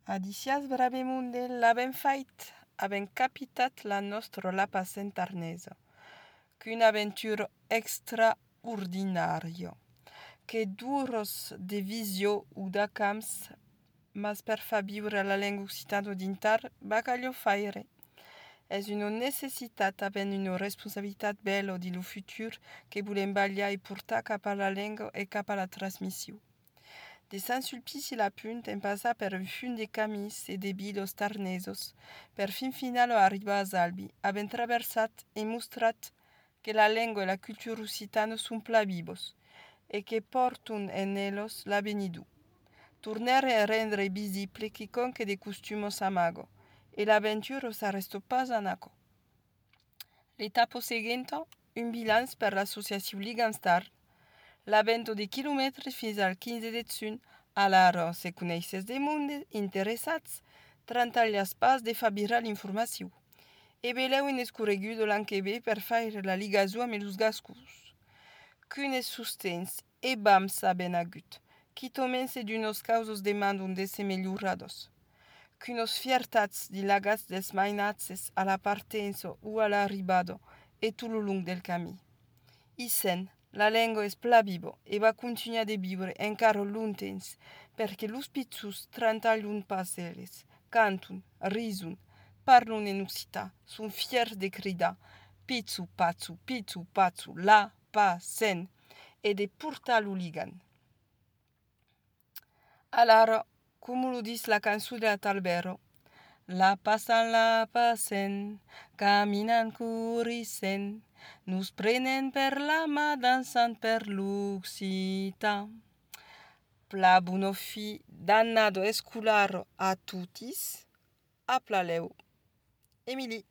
Adicias bravemunde l'avem fait, avem capitat la nostra lapa centarnesa, qu'une aventure extraordinaria, que duros de visio ou de camps, mas per fa viure la lengua occitana dintar, bacallio faire. És una necessitat havent una responsabilitat bella di lo futur que volem ballar i portar cap a la lengua e cap a la transmissió. De Saint-Sulpice la Punt hem passat per un fund de camis e de bilos tarnesos, per fin final arribar a Salvi, havent traversat e mostrat que la lengua e la cultura occitana són pla vivos, e que portun en ellos la venidu. Tornare a rendre visible quiconque de costumos amago, e l'avventura s'arrestò pas anaco. L'etapa seguente, un bilanç per l'associació Liganstar, l'avvento di chilometri fins al 15 de juny, allara se coneixes de monde interessats, trantallas pas de fa virar l'informació. E veleu in escorregudo l'an que ve per faire la ligazo amb els gascus. Qu'unes sustens e bams ben agut, qui tomense d'unos causos demandun de se melhorados. Qu'unos fiertats di lagats des mainatses a la partenza o a l'arribado e tout lo long del camí. Isen, la lengua és pla vivo e va continuar de viure encara lontens, perquè los pitzus trantallun pas elles, cantun, risun, parlun en occità, son fiers de cridar pitzu patzu, la, pa, sen, e de portar l'oligan. Alara, como lo dis la cançó de Talbero, la passen, caminan corrissent, nos prenen per la mà dansant per l'occità. Pla buno fi dannado escularo a tutis, a plaleu. Emily.